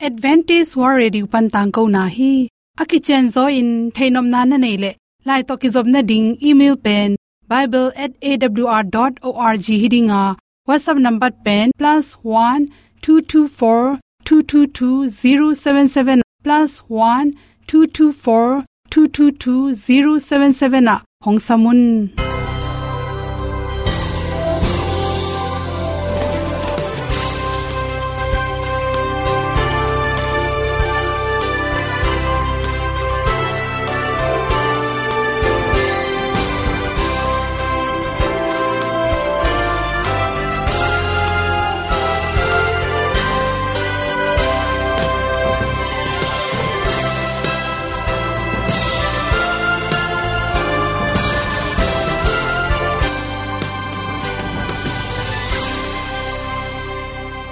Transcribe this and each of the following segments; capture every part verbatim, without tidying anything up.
Adventist World Radio pan tangkona hi. A kicianzaw in theihnopna na neih leh, lai tawh kizopna ding email pen bible at A W R dot org hi ding a, WhatsApp number pen plus one two two four two two two zero seven seven, plus one two two four two two two zero seven seven ah hong sam un.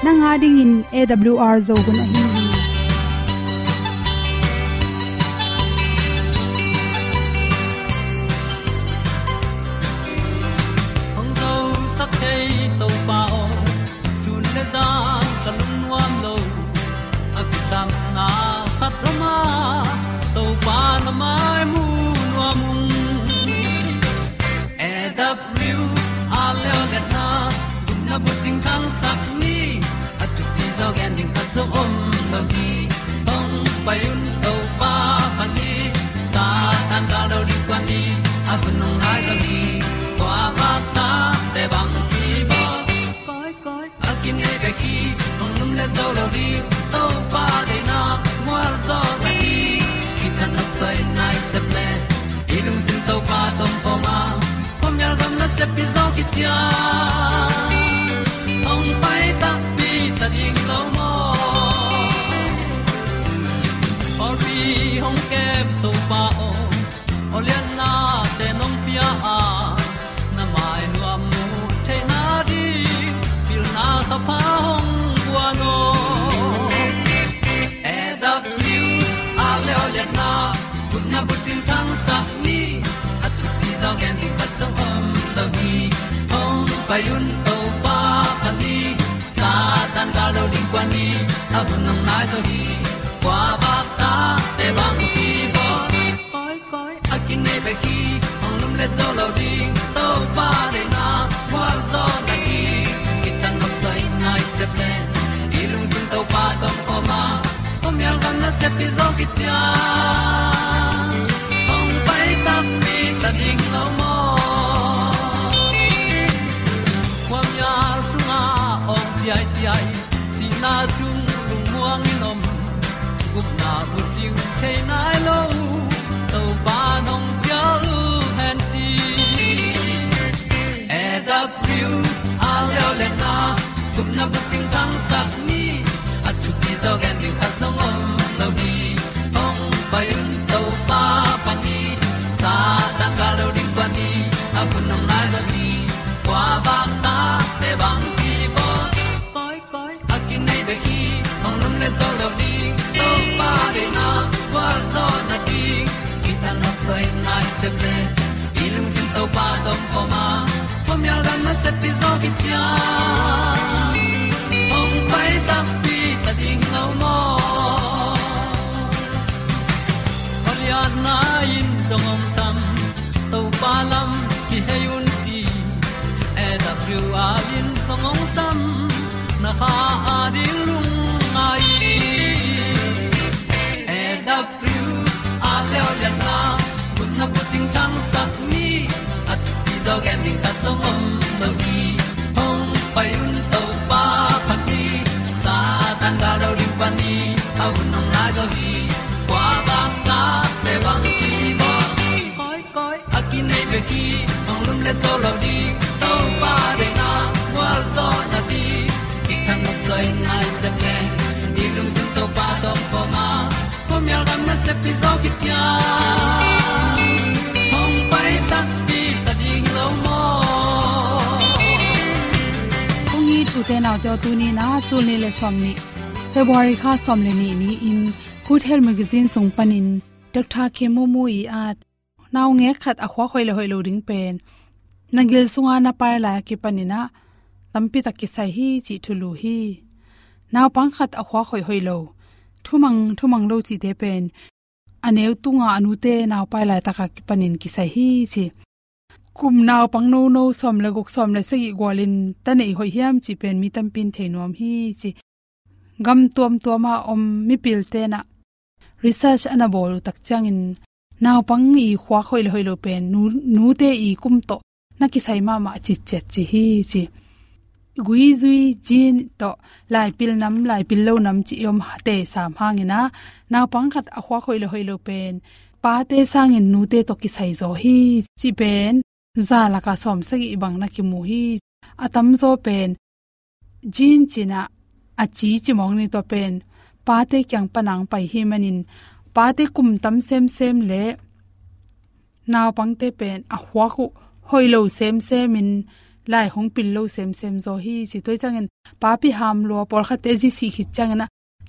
Nang a dingin A W R Zo hun ahi hi. Hong zosak thei Topa aw, sun le zan ka lungnuam lo. A kisapna khat om a, Topa na mai mu nuam ung. A W R Zo liatna, gupna bucing thangsak ni. A thupi zaw gen ding khat zong om lo hi. Hong pai un Topa pan hi. Satan gal lo ding kuan ni. A hun hong nai zaw hi. Kua bak ta te bang hi baw. Koi, koi, a kinei bek hi, hong lum le zo lo ding, Topa deihna, mual zaw na hi, kitang nok soi nai sep le, i lungsim Topa tawh om a, khuamial gam na sep pi zaw kitia, hong pai takpi ta ding lo maw. Pawlpi hong kem Topa aw, aw lianna te nong pia a, na mai nuam mu theihna ding, pilna thapha hong guan aw. A W R Zo liatna, gupna bucing thangsak ni. A thupi zaw gen ding khat zong om lo hi. Hong pai un Topa pan hi. Satan gal lo ding kuan ni. A hun hong nai zaw hi. Kua bak ta te bang hi baw. Koi, koi, a kinei bek hi, hong lum le zo lo ding, Topa deihna, mual zaw na hi, kitang nok soi nai sep le, i lungsim Topa tawh om a, khuamial gam na sep pi zaw kitia, hong pai takpi ta ding lo maw. Khuamial sungah awng ciaiciai, sihna sung lungmuang in om, gupna bucing thei nai lo, Topa nong cial hen ci. A W R Zo liatna, gupna bucing thangsak ni. A thupi zaw gen ding khat zong om lo hi. Hong pai un Topa pan hi. Satan gal lo ding kuan ni. A hun hong nai zaw hi. Kua bak ta te bang hi baw. Koi, koi, a kinei bek hi, hong lum le zo lo ding, Topa deihna, gualzawhna ding, kitang nok soi nai sep le, i lungsim Topa tawh om a, khuamial gam na sep pi zaw kitia, hong pai takpi ta ding lo maw. Khualiatna in zong hong sam, Topa lam kihei un ci, A W R in zong hong sam, na kha a ding lungngai. A W R Zo liatna, gupna bucing thangsak ni, a thupi zaw gen ding khat zong om lo hi. Hong pai un Topa phat ni, Satan gal lo ding pan ni, a hun hong nai zaw hi. Kua bang ta te bang hi baw. Koi, koi, a kinei bek hi, hong lum le zo lo ding, Topa deihna, gualzawhna ding, kitang nok soi nai sep le, i lungsim Topa tawh om a, khuamial gam na sep pi zaw kitia, hong pai takpi ta ding lo maw. Kong it u te nau te aw, tuni-in a, tul nih le sawmnih, February kha sawm le nih ni-in, Good Health Magazine sung panin, Doctor Kim Mu Mu i at, naungek khat a khuak hoih le hoih lo ding pen, na gil sunga na pai lai a kipanin a, tampi tak kisai hi cih thulu hi. Naupang khat a khuak hoih hoih lo, thumang, thumang lo cihte pen a neu tunga a nute naupai laitaka kipanin kisai hi ci. Kum naupang nono sawm le guk, sawm le sagih gualin ta neih hoih hiam cih pen mi tampi in thei nuam hi ci. Gam tuamtuama om mipilte na research a na bawl uh tak ciangin naupang i khuak hoih le hoih lo pen nu, nute i kum tawh na kisai mahmah citciat ci hi ci. Guizui, gene tawh laipil nam, laipil lo nam ci i om te sam hangin a, naupang khat a khuak hoih le hoih lo pen pate sangin nute tawh kisai zaw hi ci pen za laka sawm sagih bang na kimu hi. A tamzaw pen gene cih na a ci ci mawng ni, tua pen pate kiang panang pai hi manin pate kum tam semsem le naupangte pen a khuak uh hoih lo semsemin lai hong pil lo semsem zaw hi ci. Tua ciangin papi ham lua, pawlkhatte zi sih khit ciangin a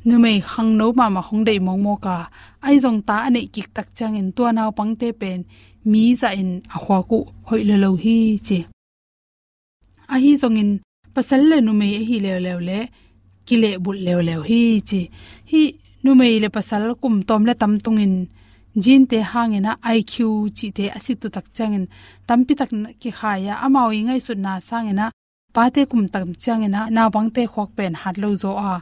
numei khangno mahmah hong deih mawkmawk a, ahi zong ta a neih kik tak ciangin tua naupangte pen mi zahin a khuak uh hoih lo lo hi ci. Ahi zongin pasal le numei ahi leuleu le kilehbulh leuleu hi ci. Hih numei le pasal kum tawm le tam tungin gene te hangin a I Q cihte a sit uh tak ciangin tampi tak kikhai a, amau i ngaihsutna sangin a pate kum tam ciangin a naupangte khuak pen hat lo zaw a,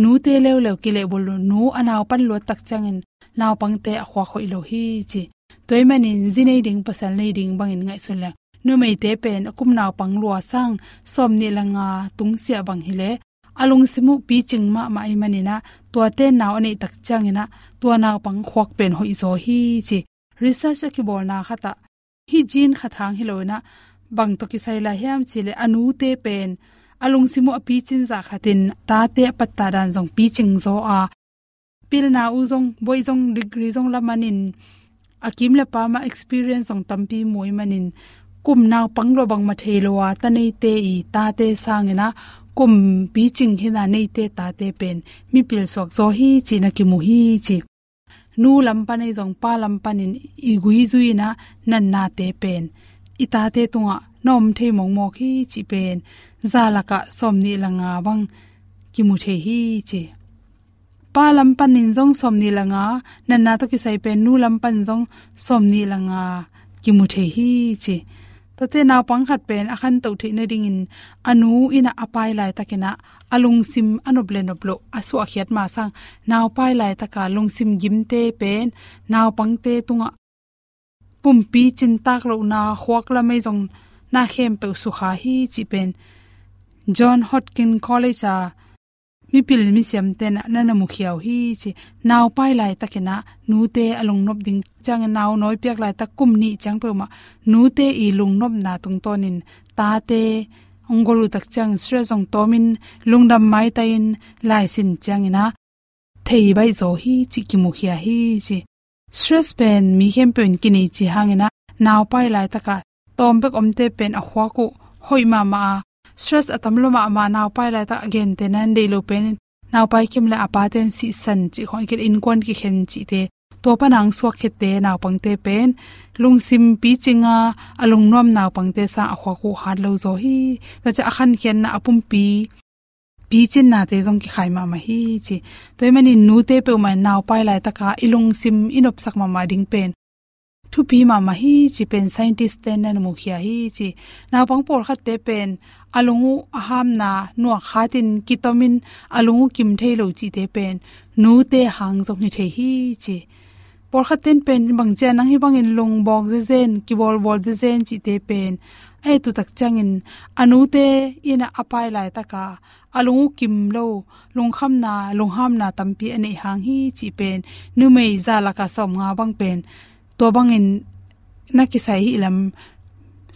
nute leuleu kilehbulh uh, nu a naupan luat tak ciangin naupangte a khuak hoih lo hi ci. Tua ahih manin zi nei ding, pasal nei ding bangin ngaihsun leng numeite pen a kum naupang lua sang sawmnih le nga tungsiah bang hi le a lungsim uh picing mahmah ahih manin a tuate nau a neih tak ciangin a tua naupang khuak pen hoih zaw hi ci. Research a kibawlna khat ah hih gene khat hang hi lo in a bang tawh kisai lai hiam cih le a nute pen a lungsim uh a picin zah khatin tate a pattah dan zong picing zaw a, pilna uh zong, buai zong, degree zong la manin a kim le pam ah experience zong tampi mu ahih manin kum naupang lua bangmah thei lo a ta neite i tate sangin a kum picing hi na neite tate pen mipil suak zaw hi ci na kimu hi ci. Nu lam pan ahi zong pa lam panin i guizui in a natnate pen i tate tungah na om thei mawkmawk hi cih pen za lakah sawmnih le nga bang kimu thei hi ci. Pa lam panin zong sawmnih le nga, natna tawh kisai pen nu lam pan zong sawmnih le nga kimu thei hi ci. Tuate naupang khat pen a khantoh theih nadingin a nu in a a pai laitakin a a lungsim a nop le nop loh a suahkhiat ma sang, naupai laitaka lungsim gimte pen naupangte tungah pumpi cintak lohna, khuak lam ahi zong na khempeuh sukha hi cih pen John Hopkins College a mipil misiamte na na mukhia uh hi ci. Naupai laitakin a nute a lungnop ding ciangin nau nawi piak laitak kum nih ciang peuhmah nute i lungnopna tungtawnin tate hong gol uh tak ciang stress zong tawmin lungdam maitai-in laisin ciangin a thei baih zaw hi cih kimukhia hi ci. Stress pen mi khempeuh in kinei cih hangin a naupai laitaka tawm bek omte pen a khuak uh hoih mahmah a, stress a tam lua mahmah naupai laitak a gente na deih lo pen in naupai kim le a pate in sihsan cih khawng a kil innkuan kikhen cihte, tua pana hong suakkhete naupangte pen lungsim picing a a lungnuam naupangte sang a khuak uh hat lo zaw hi. Tua ciang a khankhiatna a pumpi picinnate zong kikhai mahmah hi ci. Tua ahih manin nute peuhmah in naupai laitaka i lungsim i nopsak mahmah ding pen thupi mahmah hi ci pen scientist te na mukhia hi ci. Naupang pawlkhatte pen a lung uh a hamna nuak hatin kitomin a lung uh kim thei lo cihte pen nute hang zong hi thei hi ci. Pawlkhat ten pen bangcia nang hih bangin lungbawk zezen, kibawlbawl zezen cihte pen a et uh tak ciangin a nute in a pai laitaka a lung uh kim lo, lungkhamna, lunghamna tampi a neih hang hi cih pen numei za laka sawmnga bang pen tua bangin na kisai hi lam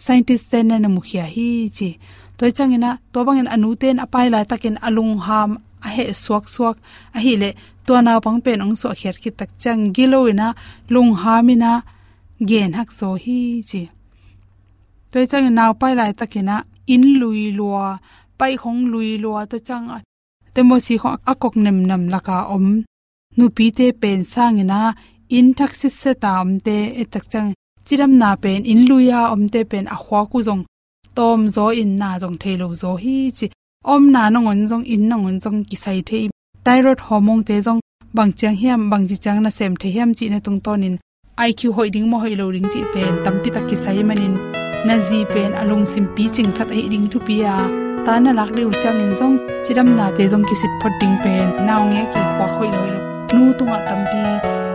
scientist te na mukhia hi ci. Tua ciangin a tua bangin a nute in a pai laitakin a lungham a heh suaksuak ahileh tua naupang pen hong suahkhiat khit tak ciang gilo in a lungham in a gen hak zaw hi ci. Tua ciangin naupai laitakin a inn lui lua, paihkhong lui lua, tua ciang a temosi khong a kok nemnam laka om nupite pen sangin a inn thak sitseta omte et tak ciang cidamna pen inn lui a omte pen a khuak uh zong tawm zaw in na zong thei lo zaw hi ci. Omna nangawn zong inn nangawn zong kisai thei, thyroid hormone te zong bang ciang hiam, bang ci ciang na sem thei hiam cih na tungtawnin I Q hoih ding maw hoih lo ding cih pen tampi tak kisai manin, na zi pen a lungsim picing khat ahi ding thupi a, ta na lak deuh ciangin zong cidamnate zong kisit phot ding pen naungek i khuak hoih lo hoih lo, nu tungah tampi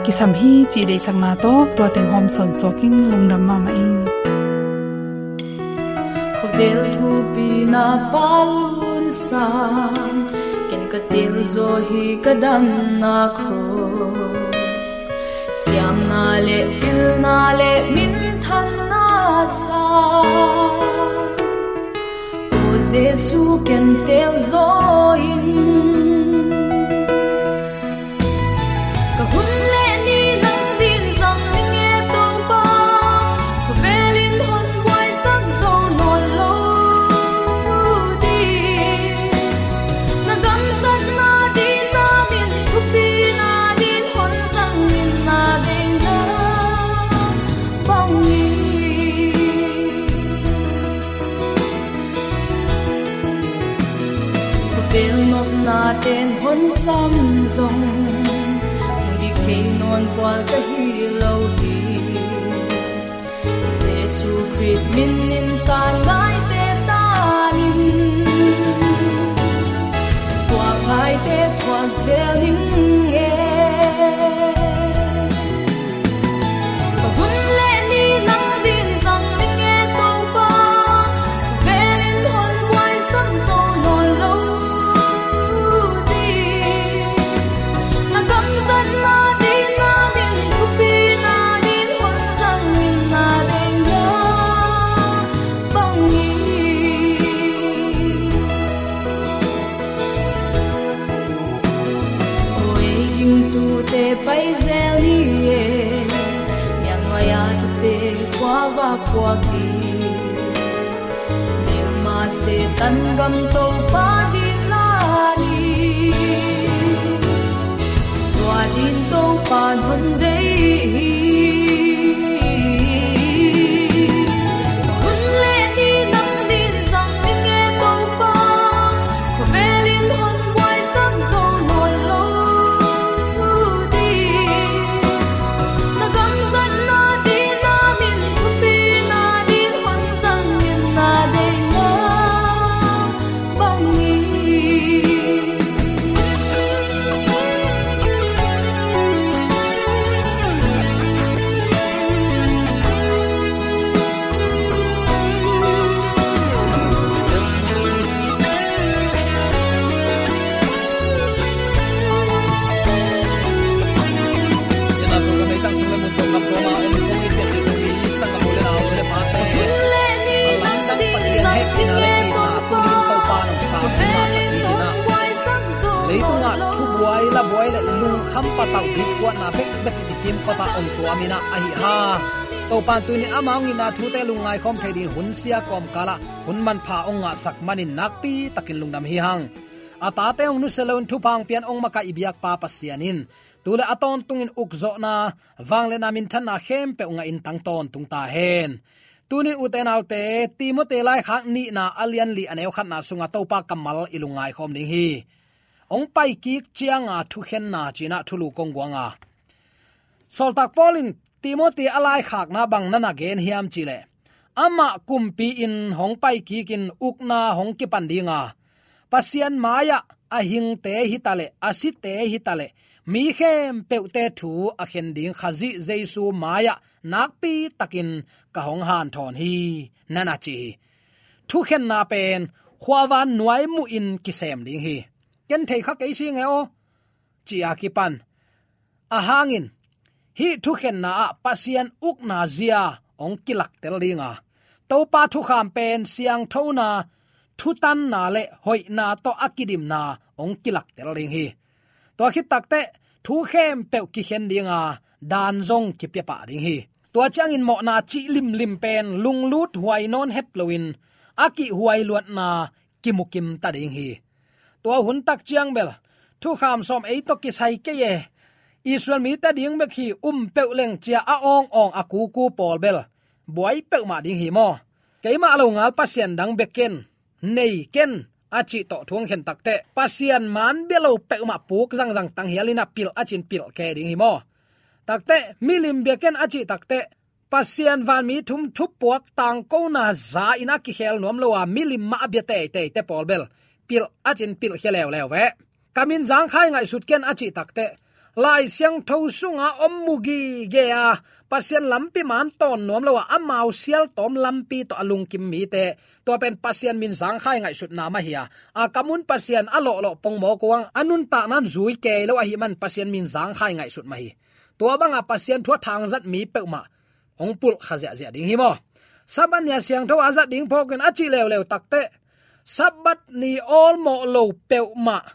kisam hi cih deihsakna tawh tua teng hawm sawnsuak ing. Lungdam mahmah ing. Khawvel thupi na Pa lun sang, ken ka tel zaw hi ka damna cross. Siamna le pilna le minthanna sang, aw Jesu ken tel zaw in. Ka hun le ni nang din zang ning e Topa, khawvel in hon buaisak zo nawn lo ding. Na gamzatna din na min thupina din hon zang in na deihna bangin. Khawvel nopna ten hon sam zong, hong dik thei nawn kual ka hi lo hi. Jesu Khrist min in tan ngaite tan in, thuak ngaite thuak zel ning e. Ka hun le ni nang din zang ning e Topa, khawvel in hon buaisak zo nawn lo ding. Na gamzatna din na min thupina din hon zang in na deihna bangin. Aw ei gingtute pai zel ni e, nial nuai-a tute khua va puak hi. Mel ma Satan gam Topa din la ni, tua din Topa hon deih hi. Hun le ni nang din zang ning e Topa, khawvel in hon buaisak zo nawn lo ding. Na gamzatna din na min thupina din hon zang in na deihna bangin. Tua mah om kong i piate zong i sang a mu le nau le pate, a lamdang Pasian hehpihna le itna tunin Topa nong sang na sak ding hi na. Leitungah thubuai labuai le lungkham patauh dikkuatna bekbek i kim kota om tua mi na ahi hang. Topan tunin ama hong itna thute lungngai khawm thei dingin hun sia kawmkalah hun manpha hong ngahsak manin nakpi takin lungdam hi hang. A tate hong nusia loin thupha hong pian hong makaih i biakpa Pasian in tu le a tawntungin ukzawhna, vangliatna, minthanna khempeuh ngahin tang tawntung ta hen. Tunin ute naute, Timoti laikhak nihna a lian li a neu khatna sungah Topa kammal i lungngai khawm ding hi. Hong paikik cianga thukhenna cinah thulu kong guanga, Sawltak Paul in Timoti a laikhakna bang na na gen hiam cihleh, amah kumpi in hong paikikin ukna hong kipan dinga, Pasian mai-ah a hingte hitaleh, a site hitaleh, mi khempeuhte thu a khen ding Khazih Jesu mai-ah nakpi takin ka hong hanthawn hi, na na ci hi. Thukhenna pen khuavan nuai muhin kisem ding hi. Ken thei kha kei si nge aw, ci-a kipan. Ahangin hih thukhenna ah Pasian ukna zia hong kilaktel dinga, Topa thukham pen siangthona, thutanna le hoihna tawh a kidimna hong kilaktel ding hi. Tua khit takteh thu khempeuh kikhen dinga, dan zong kipia pah ding hi. Tua ciangin mawhna cih limlim pen lunglut huai nawn het loin a kihhuai luatna kimukim ta ding hi. Tua hun tak ciang bel thukham sawm ei tawh kisai kei e, Israel mite ding bek hi, um peuh leng ci-a a awngawng a kuku pawl bel buai peuhmah ding hi maw. Keimah lo ngal pasian dang bia ken, nei ken, a cih tawh thu hong khen takteh, Pasian man bia lo peuhmah puk zangzang tanghial in a pilh a cin pilh ke ding hi maw? Takteh, milim biakinn a cih takteh, Pasian vanmi thum thupuak tangkona za in a kikhel nuam lo a, milim mah a bia teitei te pawl bel pilh a cin pilh khia leuleu ve. Ka min Zangkhai ngaihsut ken a cih takteh, Lai Siangtho sunga om mu gige a, Pasian lampi man tawn nuam lo a, amau sial tawm lampi tawh a lungkim mite, tua pen Pasian min Zangkhai ngaihsutna mah hi a, a kam un Pasian a lawhlawh pongmawk uh a, a nuntakna in zui kei lo ahih man Pasian min Zangkhai ngaihsut mah hi. Tua banga Pasian thu a thangzat mi peuhmah hong pulh kha ziahziah ding hi maw? Sabbath ni a siangtho a zat ding phawkin a cih leuleu takteh, Sabbath ni awlmawh lo peuhmah,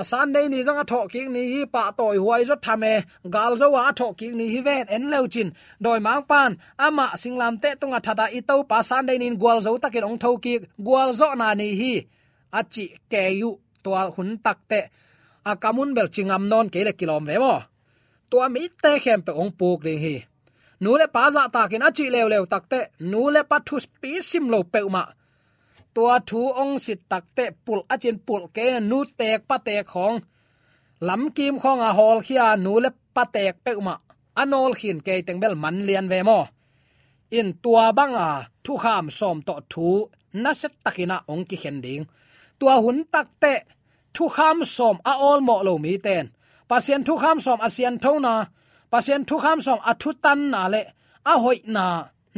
a Sunday ni zong a thawhkik ni hi, pahtawi huai zaw tham e, galzo a a thawhkik ni hi ven, en leucin dawimangpa'n amah singlamteh tungah that a, i Topa Sunday ni in gualzo takin hong thokik, gualzawhna ni hi, a cih kei uh. Tua hun takteh, a kam un bel ci ngam nawn kei le kilawm ve maw? Tua mite khempeuh hong puk ding hi. Nu le pa zahtakin a cih leuleu takteh, nu le pa thupi sim lo peuhmah, tua thu hong sit takteh, pulh a cin pulh kei, nu teek pa teek khawng, lamkim khawng a hawlkhia, nu le pa teek peuhmah a nawlkhin kei teng bel man lian ve maw? In tua banga thukham sawm tawh thu nasia takin a hong kikhen ding. Tua hun takteh, thukham sawm a awlmawh lo mite'n Pasian thukham sawm a sianthona, Pasian thukham sawm a thutanna le a hoihna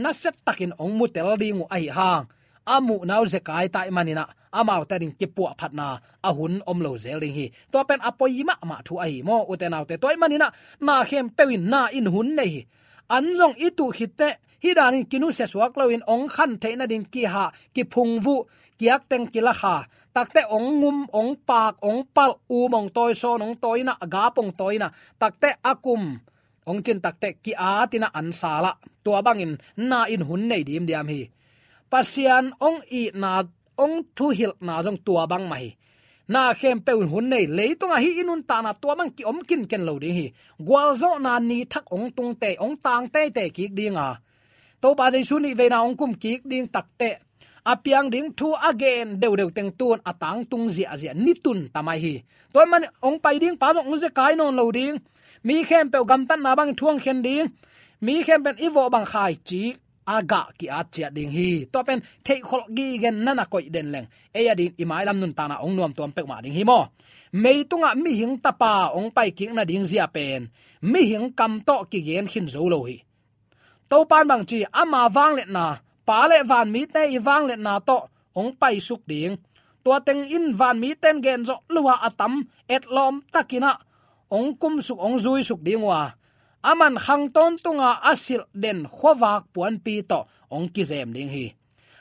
nasia takin hong mutel ding uh ahi hang, a muhna uh zekai ta ahih manin a, amaute ading kipuahphatna a hun om lo zel ding hi. Tua pen a poi mahmah thu ahi maw, ute naute? Tua ahih manin a, na khempeuh in na in hun nei hi. An zong i tuh khitteh, hih danin kinusia suak loin hong khan theih nading kihah, kiphungvuh, kiakteng kilakha, takteh hong ngum, hong paak, hong palh, um hong tawi, sawn hong tawi in a, gap hong tawi in a, takteh a kum hong cin takteh ki-at in a, an sal a, tua bangin na in hun nei dimdiam hi. Pasian hong itna, hong thuhilhna zong tua bang mah hi. Na khempeuh in hun nei, leitungah hih i nuntakna tua bang ki-om kinken lo ding hi. Gualzawhna ni thak hong tung tei, hong tang teitei kik ding a, Topa Jesu nih veina hong kum kik ding takteh, a piang ding thu a gen deuhdeuh teng tu'n a tangtung ziahziah, ni tun ta mai hi. Tua ahih manin hong pai ding pa zong hong zekai nawn lo ding. Mi khempeuh gamtatna bangin thu hong khen ding. Mi khempeuh in i vawh bang khaici a gah ki-at ciat ding hi. Tua pen theihkholh gige in na na koih den leng, ei adingin i mailam nuntakna hong nuamtuam peuhmah ding hi maw? Meitungah mihing tapa hong paikik nading zia pen mihing kam tawh kigen khin zo lo hi. Topa'n bangci, ama vangliatna, Pa le vanmite i vangliatna tawh hong paisuk ding. Tua teng in vanmite'n gen zawh lo a, a tam etlawm takin a hong kumsuk, hong zuisuk ding uh a, aman khang tawntunga a silh den khuavak puanpi tawh hong kizem ding hi.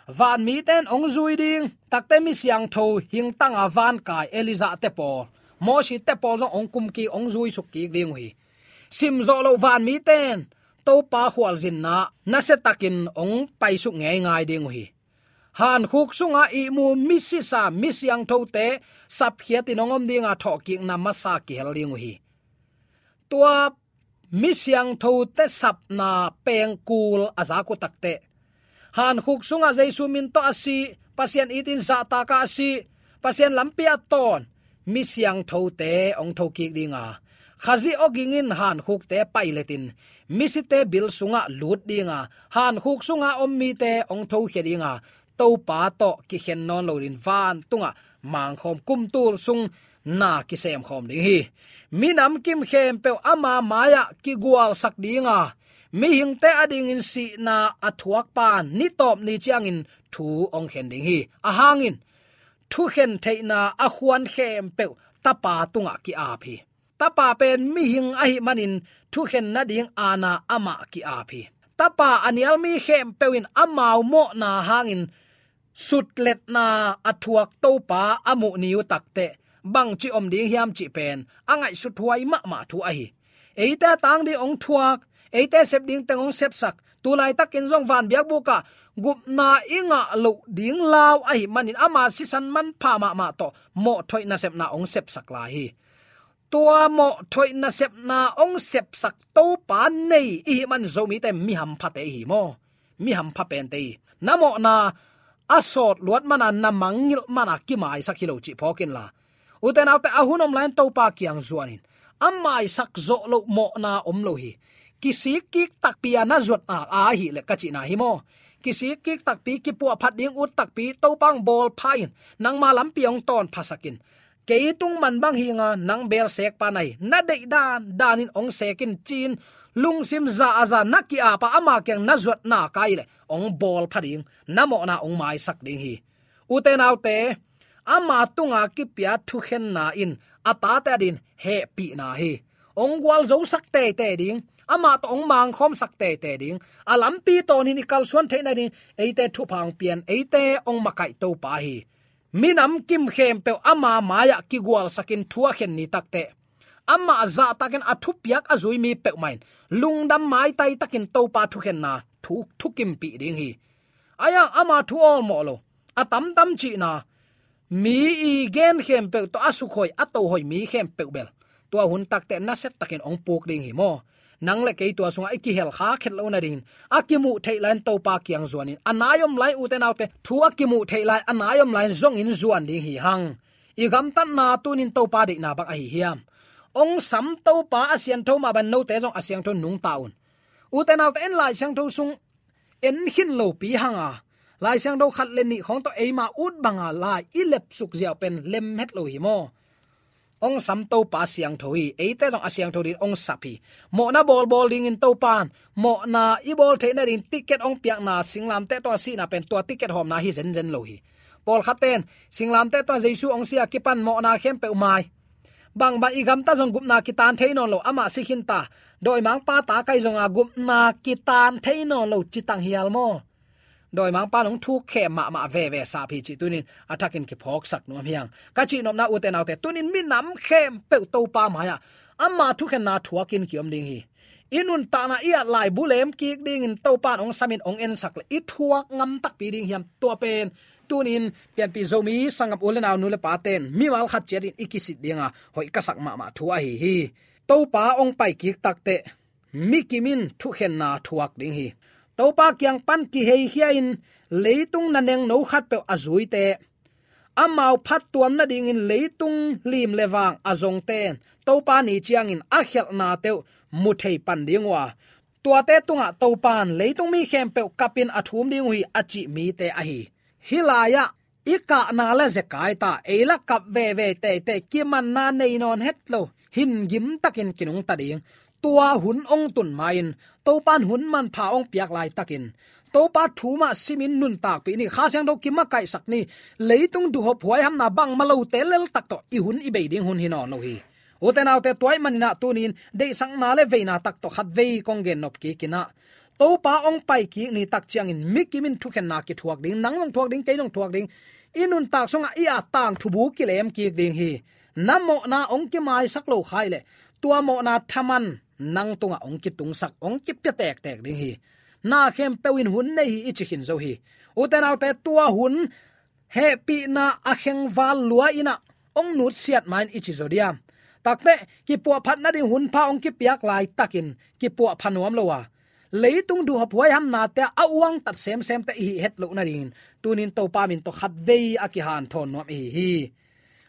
Vanmite'n hong zui ding, takteh mi siangtho hingtanga vankai Elijah te pawl, Moses te pawl zong hong kum kik, hong zuisuk kik ding uh hi. Sim zawh loh vanmite'n Topa khualzinna nasia takin hong paisuk ngeingai ding uh hi. Hankhuk sunga ihmu misisa, mi siangthote sapkhiatin hong om ding a, thawhkikna masa kihel ding uh hi. Tua mi siangthote sapna pengkul a zak uh takteh, hankhuk sungah Jesu min tawh a si, Pasian itin zahtak a si, Pasian lampi a tawn mi siangthote hong thokik ding a, Khazih awging in hankhukte pailetin misite bil sungah lut ding a, hankhuk sunga om mite hong thokhia ding a, Topa tawh kikhen nawn lo dingin vantungah mangkhawm, kum tul sung na kisemkhawm ding hi. Minam kim khempeuh ama mai-ah kigualsak ding a, mihingte adingin sihna a thuakpa ni tawp ni ciangin thu hong khen ding hi. Ahang in thukhen theihna a khuan khempeuh Tapa tungah ki-ap hi. Tapa pen mihing ahih manin thukhen nading aana amah ki-ap hi. Tapa a nial mi khempeuh in amau mawhna hangin sutletna a thuak Topa a muh ni uh takteh bangci om ding hiam cih pen a ngaihsut huai mahmah thu ahi. Eite a tang ding hong thuak, eite sep ding teng hong sepsak, tu laitakin zong vanbiakbukah gupna i ngah loh ding lau ahih manin ama sisan manpha mahmah tawh mawhthoih nasepna hong sepsak lai hi. Tua mawhthoih nasepna hong sepsak Topa nei i hih man Zomite mi hamphate i hi maw? Mi hampha pente i hi. Na mawhna a sawt luat mana na mangngilh mana kimaisak hi lo cih phawk inla, ute naute, a hun om lai-in Topa kiang zuanin a maisak zawh loh mawhna om lo hi. Kisik kik takpi a na zuatna a ahih leh ka cihna hi maw? Kisik kik takpi, kipuahphat ding ut takpi, Topa hong bawl pha in, nangma lampi hong tawn phasak in, kei tung man bang hi ing a, nang beel seek pa na hi, na deih dan danin hong seek in ci-in lungsim za a za na ki-ap a, ama kiang na zuat nak ahih leh hong bawl pha ding, na mawhna hong maisak ding hi. Ute naute, ama tunga kipia thukhenna in a tate adingin hehpihna hi. Hong gualzosak teitei ding, amah tawh hong mangkhawmsak teitei ding, a lampi tawnin i kalsuan theih nadingin eite thupha hong pia-in eite hong makaih Topa hi. Minam kim khempeuh ama mai-ah kigualsakin thu a khen ni takteh, amah zahtakin a thupiak a zui mi peuhmah in lungdam maitai takin Topa thukhenna thu, thukimpih ding hi. Ahi hang ama thu awlmawh lo, a tamtam cihna, mi i gen khempeuh tawh a sukhoih, a tohoih mi khempeuh bel tua hun takteh nasia takin hong puk ding hi maw? Nang le kei tua sungah i kihel khak het loh nadingin a kimuh theih lai-in Topa kiang zuanin, a nai om lai-in, ute naute, thu a kimuh theih lai, a nai om lai-in zongin zuan ding hi hang. I gamtatna tunin Topa deihna bang ahi hiam? Hong sam Topa a siangtho mah bangin note zong a siangtho nungta un. Ute naute, en Lai Siangtho sung en khin lopi hang a, Lai Siangtho khat le nih khawng tawh eima ut banga lai i lepsuk ziau pen lem het lo hi maw? Hong sam Topa siangtho hi, eite zong a siangtho dingin hong sap hi. Mawhna bawlbawl dingin Topa in mawhna i bawl theih nadingin ticket hong piakna, singlamteh tungah sihna pen tua ticket hawmna hi zenzen lo hi. Pawlkhatte in singlamteh tungah Jesu hong si a kipan mawhna khempeuh mai. Bangbang i gamta zong gupna kitan thei nawn lo, amah si khin ta. Dawimangpa ta ka hi zonga gupna kitan thei nawn lo, ci tang hial maw? Dawimangpa in hong thukkhem mahmah veve sap hi cih tunin a thakin kiphawksak nuam hi hang. Ka cihnopna, ute naute, tunin minam khempeuh Topa mai-ah ama thukhenna thuakin kiom ding hi. I nuntakna i at laibu lem kik dingin Topa in hong samin hong ensak leh i thuak ngam takpi ding hiam? Tua pen tunin pianpih Zomi sanggam u le nau, nu le pate'n mimal khat ciatin i kisit dinga hoih ka sak mahmah thu ahi hi. Topa hong pai kik takteh mi kim in thukhenna thuak ding hi. Topa kiang pan kiheikhia-in leitung na nengno khatpeuh a zuite, amau phattuam nadingin leitung lim le vang a zongte'n Topa ni ciangin a khialhnate uh mu thei pan ding uh a, tuate tungah Topa in leitung mi khempeuh kapin a thum ding uh hi, a cih mite ahi. Hih lai-ah i kahna le zekai ta, ei la kap veve teitei, kimanna nei nawn het lo, hin gim takin kinungta ding. Tua hun hong tun ma-in, Topa in hun manpha hong piak laitakin, Topa thu mah simin nuntakpih ni. Kha Siangtho kimakaihsak ni. Leitung duhhop huaihamna bangmah lote leltak tawh i hun i bei ding hun hi nawn lo hi. Ute naute, tua ahih manin ah tunin deihsakna le veina tak tawh khatvei kong gennop kik in ah, Topa hong pai kik ni tak ciangin mi kim in thukhenna kithuak ding, nang zong thuak ding, kei zong thuak ding. I nuntak sungah i at tangthu bu kilem kik ding hi. Na mawhna hong kimaisak lo kha ahih leh, tua mawhna thaman nang tungah hong kitungsak, hong kipia tektek ding hi. Na khempeuh in hun nei hi, i ci khin zo hi. Ute naute, tua hun hehpihna a khengval lua in ah hong nutsiat ma-in i ci zaw diam? Takteh kipuahphat nading hunpha hong kipiak laitakin kipuahpha nuam lo a, leitung duhhop huaihamnate a uangtat semsemte i hih het loh nadingin tunin Topa min tawh khatvei a kihanthawn nuam i hi hi.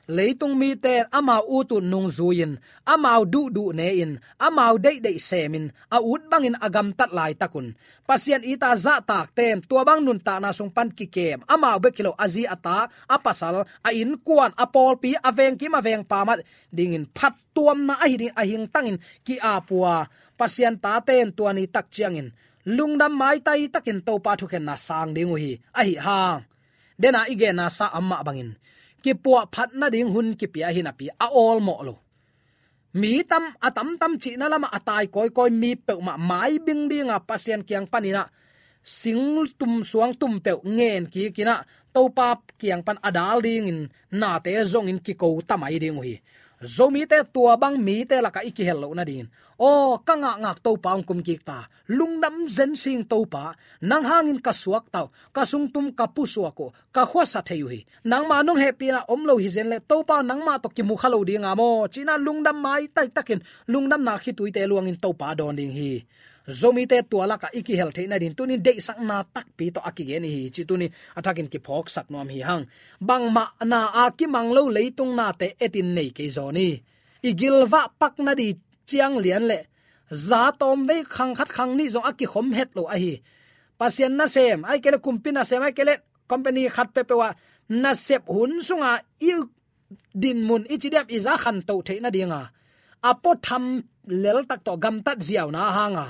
Leitung mite in amau ut ut nungzui-in, amau duhduh ne-in, amau deihdeih semin, a ut bangin a gamtat laitakun, Pasian it a zahtakte in tua bang nuntakna sung pan kikem, amau bek hi lo, a zi a ta, a pasal, a innkuan, a pawlpi, a vengkim a vengpam adingin phattuamna ahi dingin a hingtangin ki-ap uh a, Pasian tate in tua ni tak ciangin lungdam maitai takin Topa thukhenna sang ding uh hi. Ahi hang, dena i genna sa a mah bangin, kipuahphat nading hun kipia hi napi a awlmawh lo. Mi tam, a tamtam cihna lamah a tai kawikawi mi peuhmah maibing dinga Pasian kiang panin ah singtum suangtum peuh ngen kik in ah Topa kiang pan a dal dingin nate zongin kiko ta mai ding uh hi. Zomite tua bang mite lakah i kihel loh nadingin, aw, ka ngakngak Topa hong kum kik ta, lungdam zen sing Topa, nang hangin ka suakta uh, ka sungtum ka pusuak uh, ka khuasa thei uh hi. Nangma nong hehpihna om lo hi zen leh Topa nangmah tawh kimu kha lo dinga maw, ci-in ah lungdam maitai takin lungdamna khituite luangin Topa dawn ding hi. Zomite tua lakah i kihel theih nading tunin deihsakna takpi tawh a kigen i hi ci tunin a thakin kiphawksak nuam hi hang. Bangmah na a kimang lo leitung nate etin nei kei zaw ni. I gilvah pak nading ciang lian le za tawmvei khang khat khang nih zong a kikhom het lo ahi. Pasian nasem, ahih kei leh kumpi nasem, ahih kei leh company khat peuhpeuh ah nasep hun sunga i dinmun i ci diam i za khantoh theih nadinga a puatham leltak tawh gamtat ziauna hanga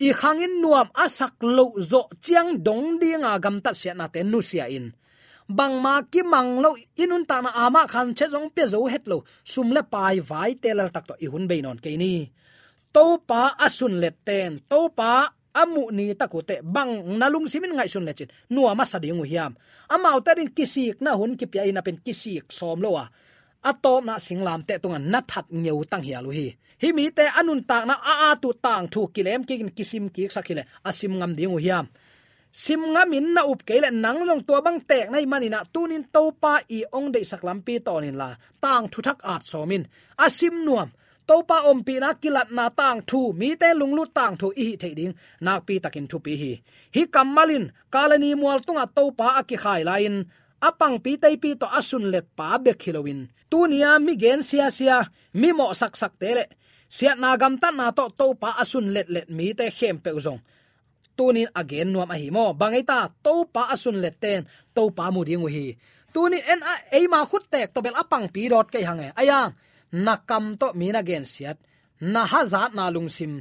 i khangin nuam a sak loh zawh ciang dong dinga gamtat siatnate nusia in, bangmah kimang lo i nuntakna amah khan chet zong pia zo het lo sum le pai vaite leltak tawh i hun bei nawn kei ni. Topa a sunlet ten Topa a muh ni tak uh teh bang na lungsimin ngaihsun lecin nuam a sa ding uh hiam? Amaute adingin kisikna hun kipia in a pen kisik sawm lo a, a tawpna singlamteh tungah na that ngeu tanghial uh hi. Hih mite a nuntakna a at uh tangthu kilem kikin kisim kiksak hileh a sim ngam ding uh hiam? Sim ngamin na up kei leh nang zong tua bang teek na hih manin ah tunin Topa i hong deihsak lampi tawn inla tangthu thak at sawm in. A sim nuam Topa ompihna kilatna tangthu, mite lunglut tangthu i hih theih ding nakpi takin thupi hi. Hih kammal in Kalvari mual tungah Topa a kikhai lai-in a pangpi teipi tawh a sunlet pa bek hi loin, tuni-a mi gen siasia, mi mawhsaksakte le siatna gamtatna tawh Topa a sunletlet mite khempeuh zong tunin a gen nuam ahi maw? Bang ei ta, Topa a sunletten Topa mu ding uh hi. Tunin en a, eima khuttek tawh bel a pangpi dawt kei hang e. Aiang, na kam tawh mi na gensiat, na hazatna lungsim,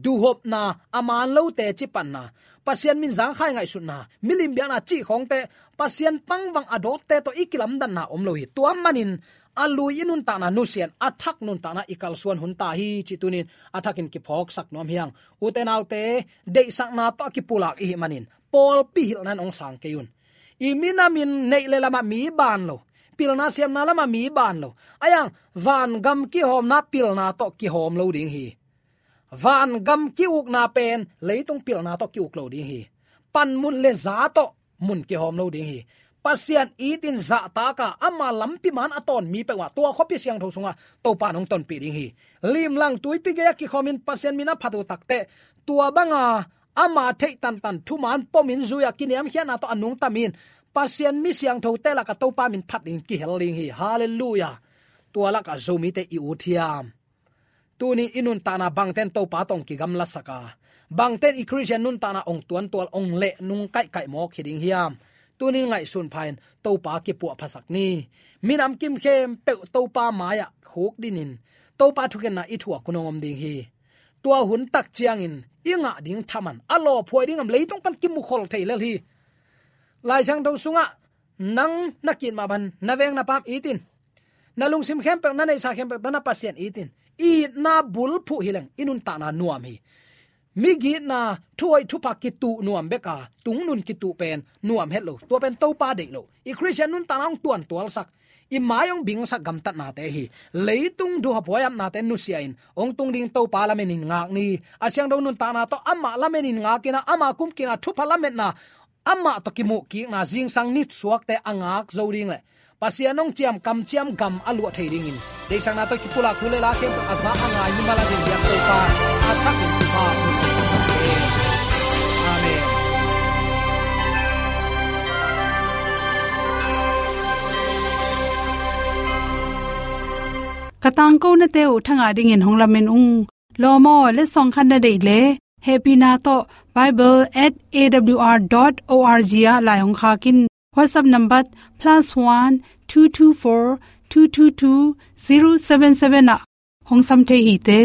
duhopna, a man lote cipatna, Pasian min zangkhai ngaihsutna, milim biakna cih khawngte, Pasian pangvang a dawtte tawh i kilamdanna om lo hi. Tua manin a lui i nuntakna nusia in, a thak nuntakna i kalsuan hun ta hi cih tunin a thakin kiphawksak nuam hi hang. Ute naute, deihsakna tawh a kipulak i hih manin pawlpi hilhna in hong sang kei un. I minamin neih le lamah mi ban lo, pilna siamna lamah mi ban lo, aiang, vangam kihawmna pilna tawh kihawm lo ding hi. Vangam ki-ukna pen leitung pilna tawh ki-uk lo ding hi. Panmun le za tawh mun kihawm lo ding hi. Pasian itin zahtaka ama lampi man a tawn mi peuhmah tua khuapi siangtho sungah Topa in hong tonpih ding hi. Limlang tuipi gei-ah kikhawmin Pasian min a phat uh takteh, tua banga ama theih tantan thuman pomin zui-ah kiniamkhiatna tawh a nungtamin Pasian mi siangthote lakah Topa min phat dingin kihel ding hi. Halleluiah. Tua lakah Zomite i ut hiam? Tunin i nuntakna bangten Topa tawh hong kigamlasak a, bangten i Khristian nuntakna hong tuantual, hong lehnung kaihkaih mawk hi ding hiam? Tunin ngaihsun pha-in Topa kipuahphasak ni. Minam kim khempeuh Topa mai-ah khukdinin Topa thukhenna i thuak hun hong om ding hi. Tua hun tak ciangin i ngah ding thaman a lawphuai ding om, leitung pan kimukhol thei lel hi. Lai Siangtho sungah nang na ki-it mah bangin na veng na pam it in. Na lungsim khempeuh, na neihsa khempeuh tawh na Pasian it in. Itna bulphuh hileng i nuntakna nuam hi. Migitna, thuhoih thupha kituh nuam bek a, tungnun kituh pen nuam het lo. Tua pen Topa deih lo. I Khristian nuntakna hong tuantualsak, i mai hong bingsak gamtatnate hi. Leitung duhhuaihamnate nusia in hong tung ding Topa lamenin ngak ni. A siangtho nuntakna tawh amah lamenin ngakin a, ama kumkikna thupha lametna, amah tawh kimuhkikna, zingsang nisuakte a ngak zo ding le Pasian hong ciam kamciam gam a luah thei dingin, deihsakna tawh kipulak thu le la khempeuh a za a ngai mimal a ding biak Topa a thakin thupha hong pia. Amen. Ka tangkonate uh thangah dingin hong lamen ung. Lawm aw, letsong khat na deih leh, hehpihna tawh bible at A W R dot O R G ah lai hong khak in. WhatsApp number plus one two two four two two two zero seven seven ah hong sam thei hi te.